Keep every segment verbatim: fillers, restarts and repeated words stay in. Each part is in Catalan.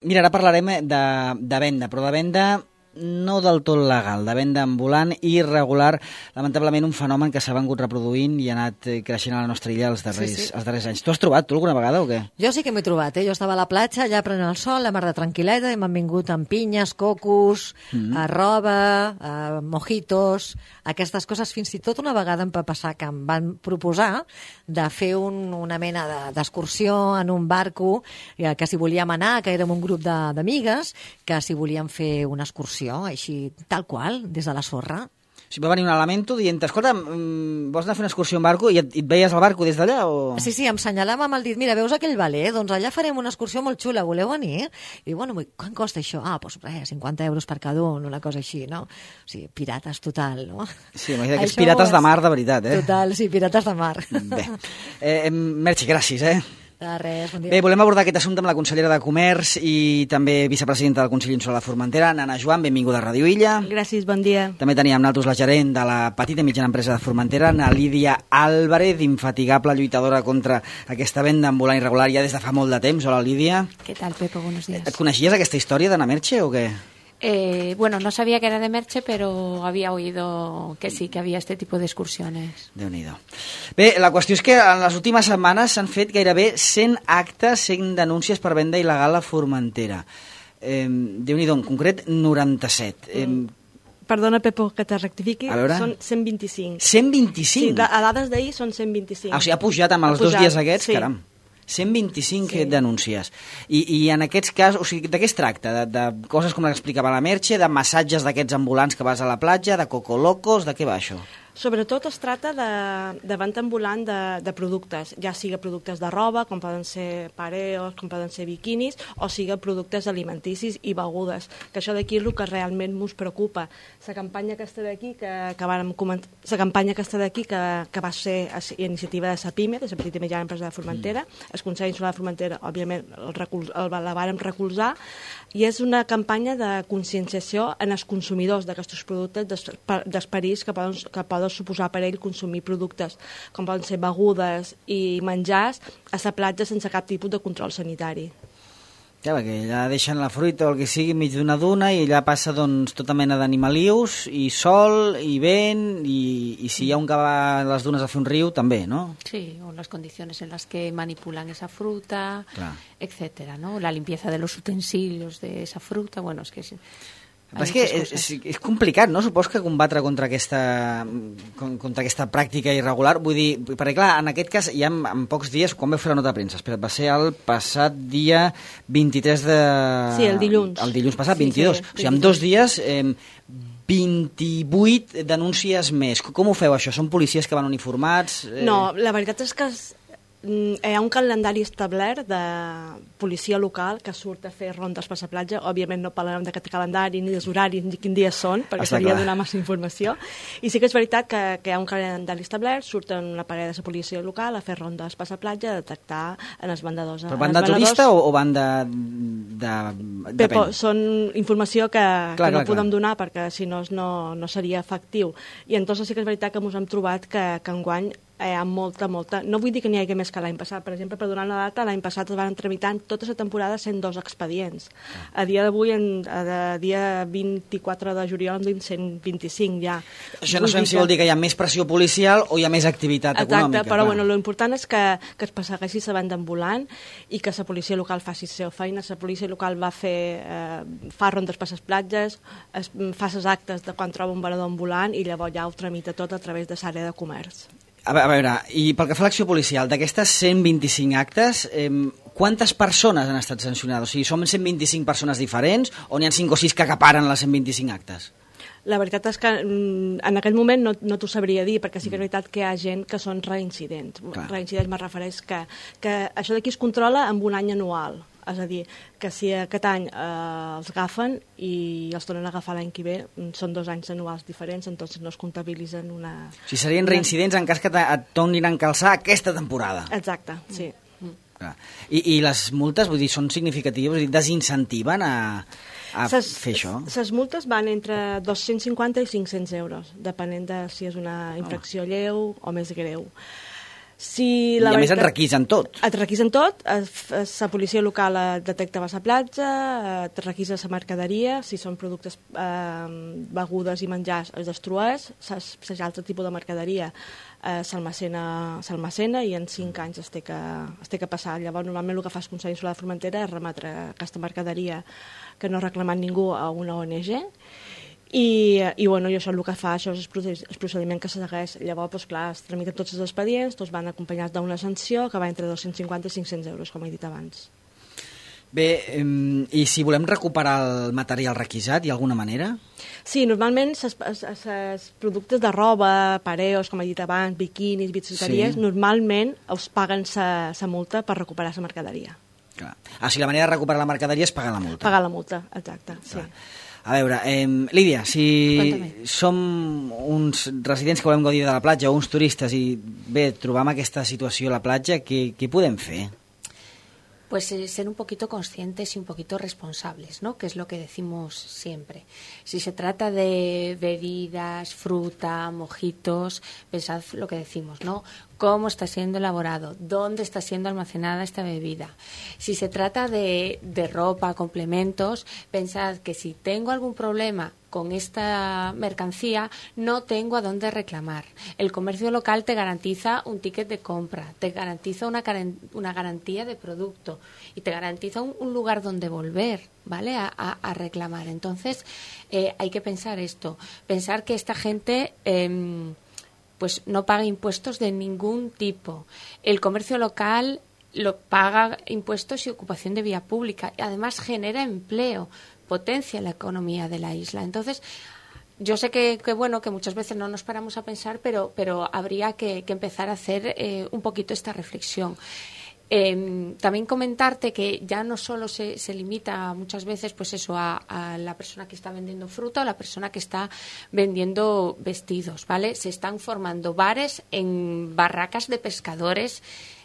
Mira, ara parlarem de, de venda, però de venda no del tot legal, de venda ambulant i irregular, lamentablement un fenomen que s'ha vengut reproduint i ha anat creixent a la nostra illa els darrers, sí, sí. els darrers anys. Tu has trobat, tu, alguna vegada o què? Jo sí que m'he trobat, eh? Jo estava a la platja, allà prenent el sol, la mar de tranquil·leta, i m'han vingut amb pinyes, cocos, mm -hmm. roba, eh, mojitos, aquestes coses. Fins i tot una vegada em va passar que em van proposar de fer un, una mena d'excursió en un barco, eh, que si volíem anar, que érem un grup d'amigues, que si volíem fer una excursió així, tal qual, des de la sorra. O sigui, va venir un elemento dient, escolta, vols anar a fer una excursió en barco i et, et veies el barco des d'allà? O... Sí, sí, em senyalava amb el dit, mira, veus aquell valer? Doncs allà farem una excursió molt xula, voleu venir? I bueno, quan costa això? Ah, doncs res, cinquanta euros per cada un, una cosa així, no? O sigui, pirates total, no? Sí, m'imagino que és pirates és... de mar, de veritat, eh? Total, sí, pirates de mar. Bé, eh, Merche, gràcies, eh? De res, bon dia. Bé, volem abordar aquest assumpte amb la consellera de Comerç i també vicepresidenta del Consell Insular de Formentera, Nana Joan, benvinguda a Ràdio Illa. Gràcies, bon dia. També teníem amb nosaltres la gerent de la petita i mitjana empresa de Formentera, na Lídia Álvarez, infatigable lluitadora contra aquesta venda ambulant irregular ja des de fa molt de temps. Hola, Lídia. ¿Qué tal, Pepo? Buenos días. Et coneixies aquesta història d'Anna Merche o què? Eh, bueno, no sabía que era de Merche, pero había oído que sí, que había este tipo de excursiones. Déu-n'hi-do. Bé, la qüestió és que en les últimes setmanes s'han fet gairebé cent actes, cent denúncies per venda il·legal a Formentera. Eh, Déu-n'hi-do, en concret noranta-set. Eh, Perdona, Pepo, que te rectifiqui, són cent vint-i-cinc. cent vint-i-cinc? Sí, a dades d'ahir són cent vint-i-cinc. Ah, o sigui, ha pujat amb els ha pujat, dos dies aquests, sí. Caram. cent vint-i-cinc sí. denúncies. I, I en aquests casos, o sigui, de què es tracta? De, de coses com l'explicava la Merche, de massatges d'aquests ambulants que vas a la platja, de cocolocos, de què va això? Sobretot es tracta de, de venda ambulant de, de productes, ja siga productes de roba, com poden ser pareos, com poden ser biquinis, o siga productes alimenticis i begudes, que això d'aquí és el que realment ens preocupa. La campanya aquesta d'aquí, que, que vàrem comentar, la campanya aquesta d'aquí, que, que va ser a iniciativa de la PIME, de la petita i mitjana empresa de Formentera, mm. el Consell Insular de Formentera, òbviament, el recul, el, la vàrem recolzar, i és una campanya de conscienciació en els consumidors d'aquests productes, dels perills que poden, que poden suposar per ell consumir productes com poden ser begudes i menjars a la platja sense cap tipus de control sanitari. Ja, perquè allà deixen la fruita o el que sigui enmig d'una duna i allà passa doncs, tota mena d'animalius i sol i vent i, i si hi ha un que va a les dunes a fer un riu també, no? Sí, o las condiciones en las que manipulan esa fruta, Clar. etcétera, ¿no? La limpieza de los utensilios de esa fruta, bueno, es que... Es... Però és que és, és complicat, no? Supos que combatre contra aquesta, contra aquesta pràctica irregular. Vull dir, perquè clar, en aquest cas, ja en, en pocs dies, quan vau fer la nota de premsa? Espera, va ser el passat dia vint-i-tres de... Sí, el dilluns. El dilluns passat, sí, vint-i-dos. Sí, o sigui, en dos dies, eh, vint-i-vuit denúncies més. Com ho feu, això? Són policies que van uniformats? Eh... No, la veritat és que hi ha un calendari establert de policia local que surt a fer rondes per la platja. Òbviament no parlarem d'aquest calendari ni dels horaris ni quins dies són, perquè Està seria clar. donar massa informació. I sí que és veritat que, que hi ha un calendari establert, surten una parella de la policia local a fer rondes per la platja, a detectar en els vendedors. Però van de turista o, o van de... de Pepo, són informació que, clar, que no clar, podem clar. donar perquè si no, no no seria efectiu. I entonces sí que és veritat que ens hem trobat que, que enguany hi ha molta, molta... No vull dir que n'hi hagi més que l'any passat. Per exemple, per donar una data, l'any passat es van tramitar tota la temporada cent dos expedients. A dia d'avui, a dia vint-i-quatre de juliol, en duim cent vint-i-cinc ja. Això no sabem si vol dir que hi ha més pressió policial o hi ha més activitat Exacte, econòmica. Però clar. bueno, l'important és que, que es persegueixi la venda ambulant i que la policia local faci la seva feina. La policia local va fer, eh, fa rondes per les platges, es, fa les actes de quan troba un venedor ambulant i llavors ja ho tramita tot a través de l'àrea de comerç. A veure, i pel que fa a l'acció policial, d'aquestes cent vint-i-cinc actes, eh, quantes persones han estat sancionades? O sigui, són cent vint-i-cinc persones diferents o n'hi ha cinc o sis que acaparen les cent vint-i-cinc actes? La veritat és que en aquest moment no, no t'ho sabria dir, perquè sí que és veritat que hi ha gent que són reincidents. Clar. Reincidents me refereix que, que això d'aquí es controla amb un any anual. És a dir, que si aquest any eh, els agafen i els tornen a agafar l'any que ve, són dos anys anuals diferents, entonces no es comptabilitzen una... O sigui, serien reincidents en cas que et tornin a encalçar aquesta temporada. Exacte, sí. Mm. I, I les multes, vull dir, són significatives? Vull dir, desincentiven a, a ses, fer això? Les multes van entre dos-cents cinquanta i cinc-cents euros, depenent de si és una infracció oh. lleu o més greu. Si I la a més et veritat- requisen tot. Et requisen tot, es- es- la policia local et detecta a la platja, et requisa la mercaderia, si són productes, eh, begudes i menjars es destrueix, si altre tipus de mercaderia eh, s'almacena s'almacena i en cinc anys es té, que, es té que passar. Llavors, normalment el que fa el Consell Insular de Formentera és remetre aquesta mercaderia que no ha reclamat ningú a una O N G. I, i, bueno, i això el que fa, això és el procediment que se segueix. Llavors, doncs, clar, es tramiten tots els expedients, tots van acompanyats d'una sanció que va entre dos-cents cinquanta i cinc-cents euros, com he dit abans. Bé, eh, i si volem recuperar el material requisat, hi ha alguna manera? Sí, normalment els productes de roba, pareos, com he dit abans, biquinis, bicicleteries, Sí. normalment us paguen la multa per recuperar la mercaderia. Clar. Ah, o sigui, la manera de recuperar la mercaderia és pagar la multa. Pagar la multa, exacte, sí. A veure, eh, Lídia, si Cuéntame. som uns residents que volem gaudir de la platja o uns turistes i bé, trobam aquesta situació a la platja, què, què podem fer? Pues eh, ser un poquito conscientes y un poquito responsables, ¿no? Que es lo que decimos siempre. Si se trata de bebidas, fruta, mojitos, pensad lo que decimos, ¿no? Cómo está siendo elaborado, dónde está siendo almacenada esta bebida. Si se trata de, de ropa, complementos, pensad que si tengo algún problema con esta mercancía, no tengo a dónde reclamar. El comercio local te garantiza un ticket de compra, te garantiza una, una garantía de producto y te garantiza un, un lugar donde volver, ¿vale? A, a, a reclamar. Entonces, eh, hay que pensar esto, pensar que esta gente eh, pues no paga impuestos de ningún tipo. El comercio local lo paga impuestos y ocupación de vía pública y además genera empleo, potencia la economía de la isla. Entonces, yo sé que, que bueno, que muchas veces no nos paramos a pensar, pero, pero habría que, que empezar a hacer eh, un poquito esta reflexión. Eh, también comentarte que ya no solo se, se limita muchas veces pues eso a, a la persona que está vendiendo fruta o la persona que está vendiendo vestidos, ¿vale? Se están formando bares en barracas de pescadores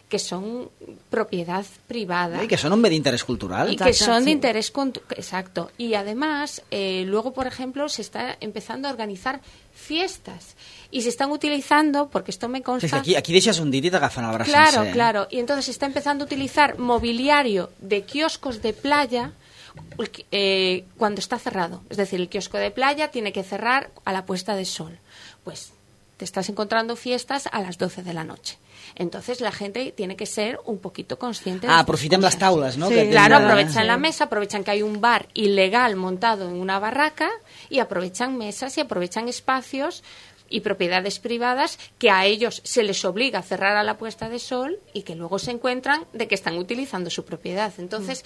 que son propiedad privada. Y que son un medio de interés cultural. Y que son de interés... Exacto. Y además, eh, luego, por ejemplo, se está empezando a organizar fiestas. Y se están utilizando, porque esto me consta... Es que aquí, aquí deixes un dit i t'agafen el braç Claro, sencer. claro. Y entonces se está empezando a utilizar mobiliario de kioscos de playa eh, cuando está cerrado. Es decir, el kiosco de playa tiene que cerrar a la puesta de sol. Pues te estás encontrando fiestas a las doce de la noche. Entonces la gente tiene que ser un poquito consciente de Ah, aprofitem les taules, no? Sí. Que Claro, tenen- aprovechan la mesa, aprovechan que hay un bar ilegal montado en una barraca y aprovechan mesas y aprovechan espacios y propiedades privadas que a ellos se les obliga a cerrar a la puesta de sol y que luego se encuentran de que están utilizando su propiedad. Entonces,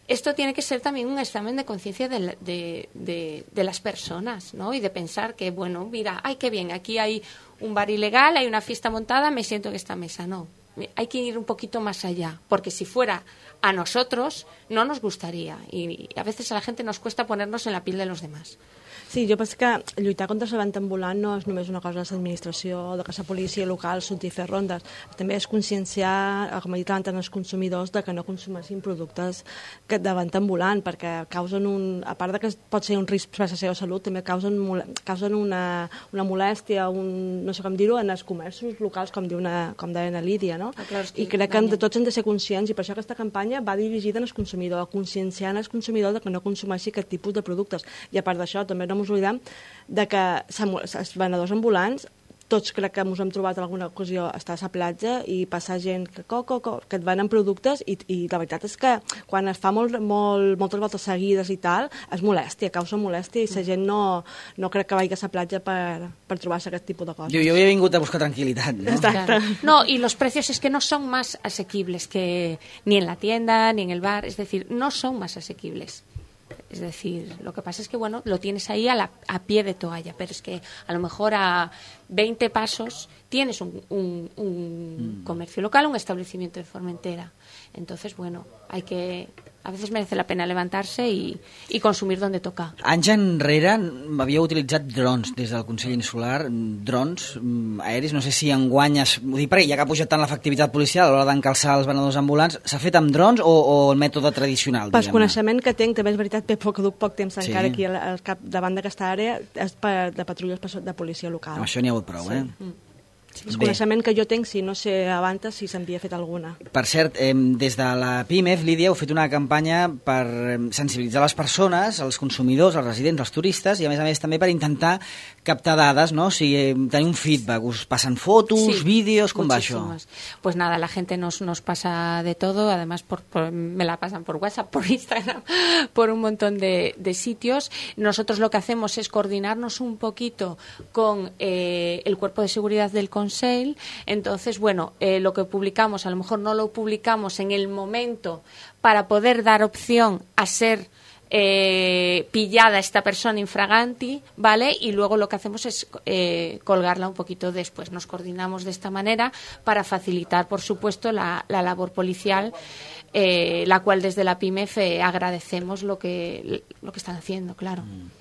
esto tiene que ser también un examen de conciencia de, la- de, de, de las personas, ¿no? Y de pensar que, bueno, mira, ay, qué bien, aquí hay un bar ilegal, hay una fiesta montada, me siento en esta mesa. No, hay que ir un poquito más allá, porque si fuera a nosotros, no nos gustaría. Y a veces a la gente nos cuesta ponernos en la piel de los demás. Sí, jo penso que lluitar contra la venda ambulant no és només una cosa de l'administració o de que la policia local surti a fer rondes. També és conscienciar, com he dit abans, els consumidors de que no consumeixin productes que de venda ambulant, perquè causen un... A part de que pot ser un risc per la seva salut, també causen, causen una, una molèstia, un, no sé com dir-ho, en els comerços locals, com, diu una, com deia la Lídia, no? Ah, clar, és que I crec que també. de tots hem de ser conscients, i per això aquesta campanya va dirigida als consumidors, conscienciant els consumidors de que no consumeixi aquest tipus de productes. I a part d'això, també no ens oblidem de que els venedors ambulants, tots crec que ens hem trobat en alguna ocasió estar a la platja i passar gent que, co, co, co, que et venen productes i, i la veritat és que quan es fa molt, molt, moltes voltes seguides i tal, és molèstia, causa molèstia i la gent no, no crec que vagi a la platja per, per trobar-se aquest tipus de coses. Jo, jo havia vingut a buscar tranquil·litat, no? Exacto. No, y los precios es que no son más asequibles que ni en la tienda ni en el bar, es decir, no son más asequibles. Es decir, lo que pasa es que, bueno, lo tienes ahí a, la, a pie de toalla, pero es que a lo mejor a veinte pasos tienes un, un, un mm. comercio local, un establecimiento de Formentera. Entonces, bueno, hay que... A veces merece la pena levantarse y, y consumir donde toca. Anys enrere havíeu utilitzat drons des del Consell Insular, drons aeris, no sé si enguany es... Ho dic perquè ja que ha pujat tant l'efectivitat policial a l'hora d'encalçar els venedors ambulants, s'ha fet amb drons o, o el mètode tradicional? Per coneixement que tinc, també és veritat, Pep, que duc poc temps Sí. encara aquí al, al cap davant d'aquesta àrea, és per, de patrulles de policia local. Amb això n'hi ha hagut prou, Sí. eh? Mm. El coneixement que jo tinc, si no sé abans si s'havia fet alguna. Per cert, eh, des de la PIMEF, Lídia, heu fet una campanya per sensibilitzar les persones, els consumidors, els residents, els turistes, i a més a més també per intentar captar dades, ¿no? O sigui, tenir un feedback. Us passen fotos, sí, vídeos, com muchísimas. va això? Pues nada, la gente nos, nos pasa de todo, además por, por, me la pasan por WhatsApp, por Instagram, por un montón de, de sitios. Nosotros lo que hacemos es coordinarnos un poquito con eh, el cuerpo de seguridad del Consejo. Entonces, bueno, eh, lo que publicamos, a lo mejor no lo publicamos en el momento para poder dar opción a ser eh, pillada esta persona infraganti, ¿vale? Y luego lo que hacemos es eh, colgarla un poquito después. Nos coordinamos de esta manera para facilitar, por supuesto, la, la labor policial, eh, la cual desde la PIMEF eh, agradecemos lo que, lo que están haciendo, claro. Mm.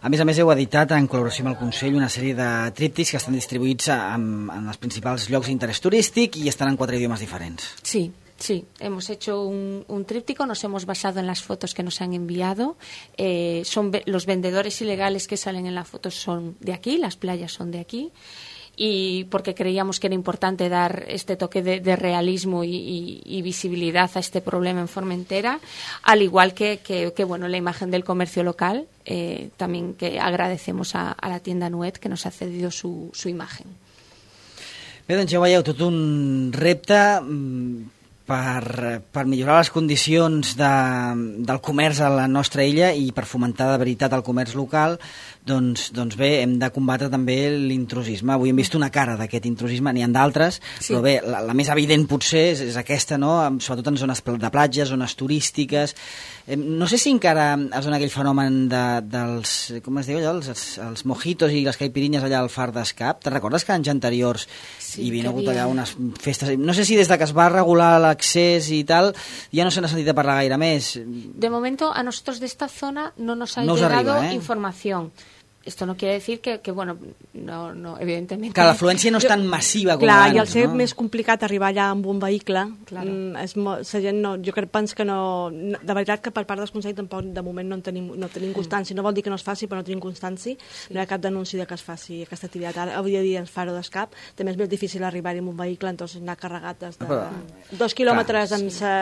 A més a més, heu editat, en col·laboració amb el Consell, una sèrie de tríptics que estan distribuïts en, en els principals llocs d'interès turístic i estan en quatre idiomes diferents. Sí, sí. Hemos hecho un, un tríptico, nos hemos basado en las fotos que nos han enviado. Eh, son los vendedores ilegales que salen en la foto son de aquí, las playas son de aquí. Y porque creíamos que era importante dar este toque de, de realismo y, y, y visibilidad a este problema en Formentera, al igual que, que, que bueno, la imagen del comercio local, eh, también que agradecemos a, a la tienda Nuet que nos ha cedido su, su imagen. Bé, doncs ja veieu, tot un repte per, per millorar les condicions de, del comerç a la nostra illa i per fomentar de veritat el comerç local. Doncs, doncs bé, hem de combatre també l'intrusisme. Avui hem vist una cara d'aquest intrusisme, n'hi ha d'altres, sí. Però bé, la, la més evident potser és, és aquesta, no? Sobretot en zones de platges, zones turístiques. Eh, no sé si encara es dona aquell fenomen de, dels, com es diu allò, els, els mojitos i les caipirinyes allà al far d'Escap. Te'n recordes que anys anteriors sí, hi havia hagut allà unes festes? No sé si des de que es va regular l'accés i tal, ja no se n'ha sentit a parlar gaire més. De momento, a nosotros de esta zona no nos ha no llegado arriba, eh? información. Esto no quiere decir que, que bueno, no, no, evidentemente... Que l'afluència no és tan massiva com clar, abans, i al ser no? més complicat arribar allà amb un vehicle, claro. mm, és mo la gent no, jo crec pens que no... De veritat que per part dels consells tampoc de moment no en tenim, no tenim constància. No vol dir que no es faci, però no tenim constància. Sí. No hi ha cap denúncia de que es faci aquesta activitat. Ara, avui dia ens faro d'Escap, també és més difícil arribar-hi amb un vehicle, entonces anar carregat des de però, dos quilòmetres clar, en sa...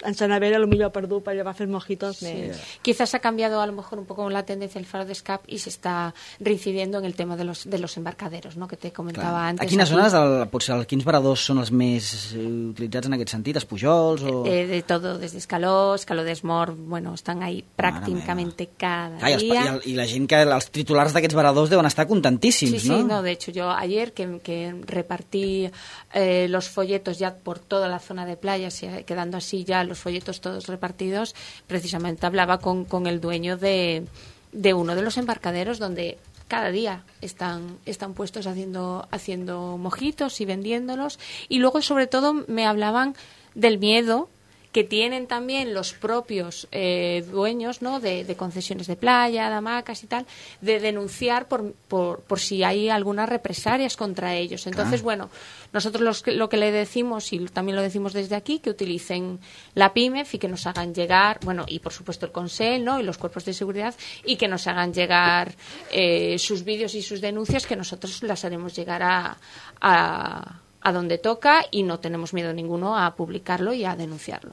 en San Avera, lo millor per dur per llevar a fer mojitos. Sí. Me... Quizás ha cambiado a lo mejor un poco la tendencia del faro de Escap y se está reincidiendo en el tema de los, de los embarcaderos, ¿no? Que te comentaba Clar. antes. A quines aquí... zones, el, potser, quins varadors són els més utilitzats en aquest sentit? Els Pujols? O... Eh, de todo, desde Escaló, Escaló d'Esmort, bueno, están ahí prácticamente cada Clar, día. I, el, I la gent que, els titulars d'aquests varadors deuen estar contentíssims, sí, ¿no? Sí, no, de hecho yo ayer que, que repartí eh, los folletos ya por toda la zona de playas, quedando así ya los folletos todos repartidos, precisamente hablaba con, con el dueño de, de uno de los embarcaderos donde cada día están, están puestos haciendo, haciendo mojitos y vendiéndolos, y luego sobre todo me hablaban del miedo que tienen también los propios eh, dueños, ¿no? de, de concesiones de playa, de hamacas y tal, de denunciar por, por, por si hay algunas represalias contra ellos. Entonces, ah. bueno, nosotros los, lo que le decimos, y también lo decimos desde aquí, que utilicen la PIMEF y que nos hagan llegar, bueno, y por supuesto el Consell, ¿no? y los cuerpos de seguridad, y que nos hagan llegar eh, sus vídeos y sus denuncias, que nosotros las haremos llegar a... a a donde toca y no tenemos miedo ninguno a publicarlo y a denunciarlo.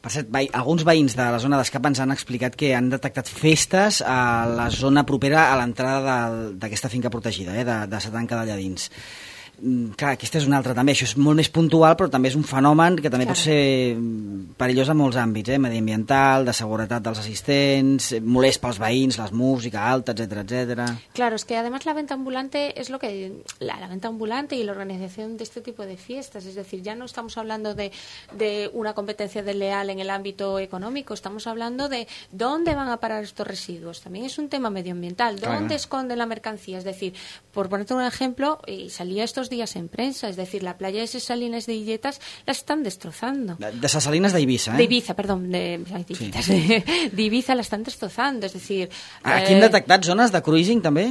Per cert, veí, alguns veïns de la zona d'Escap ens han explicat que han detectat festes a la zona propera a l'entrada d'aquesta finca protegida, eh, de, de Satanca d'allà dins. Clar, aquesta és una altra també, això és molt més puntual, però també és un fenomen que també claro. pot ser perillós en molts àmbits, eh? mediambiental, de seguretat dels assistents, molest pels veïns, la música alta, etcétera, etcétera. Claro, es que además la venta ambulante es lo que la, la venta ambulante y la organización de este tipo de fiestas, es decir, ya no estamos hablando de, de una competencia desleal en el ámbito económico, estamos hablando de dónde van a parar estos residuos, también es un tema medioambiental, dónde claro. esconden la mercancía, es decir, por ponerte un ejemplo, y salía estos días en prensa, es decir, la playa de Ses Salines de Illetas la están destrozando. De Ses Salines de Ibiza, ¿eh? De Ibiza, perdón, de, de, sí. de Ibiza la están destrozando, es decir... Aquí eh... hem detectat zones de cruising, també?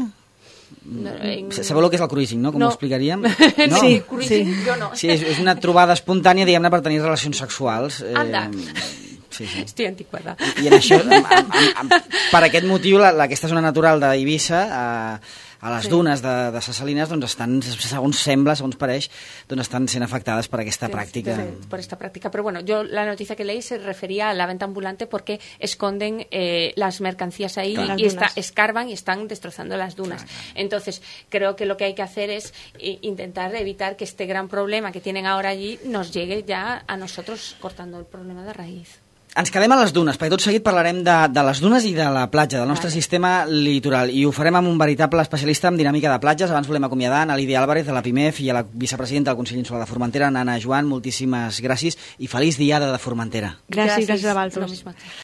No, en... Sabeu el que és el cruising, no? Com no. ho explicaríem? No? Sí, cruising, sí. jo no. Sí, és, és una trobada espontània, diguem-ne, per tenir relacions sexuals. Anda. Eh... Sí, sí. Estic antiquada. I, i en això, amb, amb, amb, per aquest motiu, la, la, aquesta zona natural d'Eivissa, eh, a les Sí. dunes de, de Ses Salines, doncs estan, segons sembla, segons pareix, doncs estan sent afectades per aquesta pràctica. Sí, por esta práctica. Pero bueno, yo la noticia que leí se refería a la venta ambulante porque esconden eh, las mercancías ahí Claro. y Las está, dunas. escarban y están destrozando las dunas. Entonces, creo que lo que hay que hacer es eh, intentar evitar que este gran problema que tienen ahora allí nos llegue ya a nosotros cortando el problema de raíz. Ens quedem a les dunes, perquè tot seguit parlarem de, de les dunes i de la platja, del nostre Vale. sistema litoral, i ho farem amb un veritable especialista en dinàmica de platges. Abans volem acomiadar a Lídia Álvarez, de la PIMEF, i a la vicepresidenta del Consell Insular de Formentera, Nana Joan. Moltíssimes gràcies i feliç diada de Formentera. Gràcies, gràcies a Lo vosaltres. mismo a ti.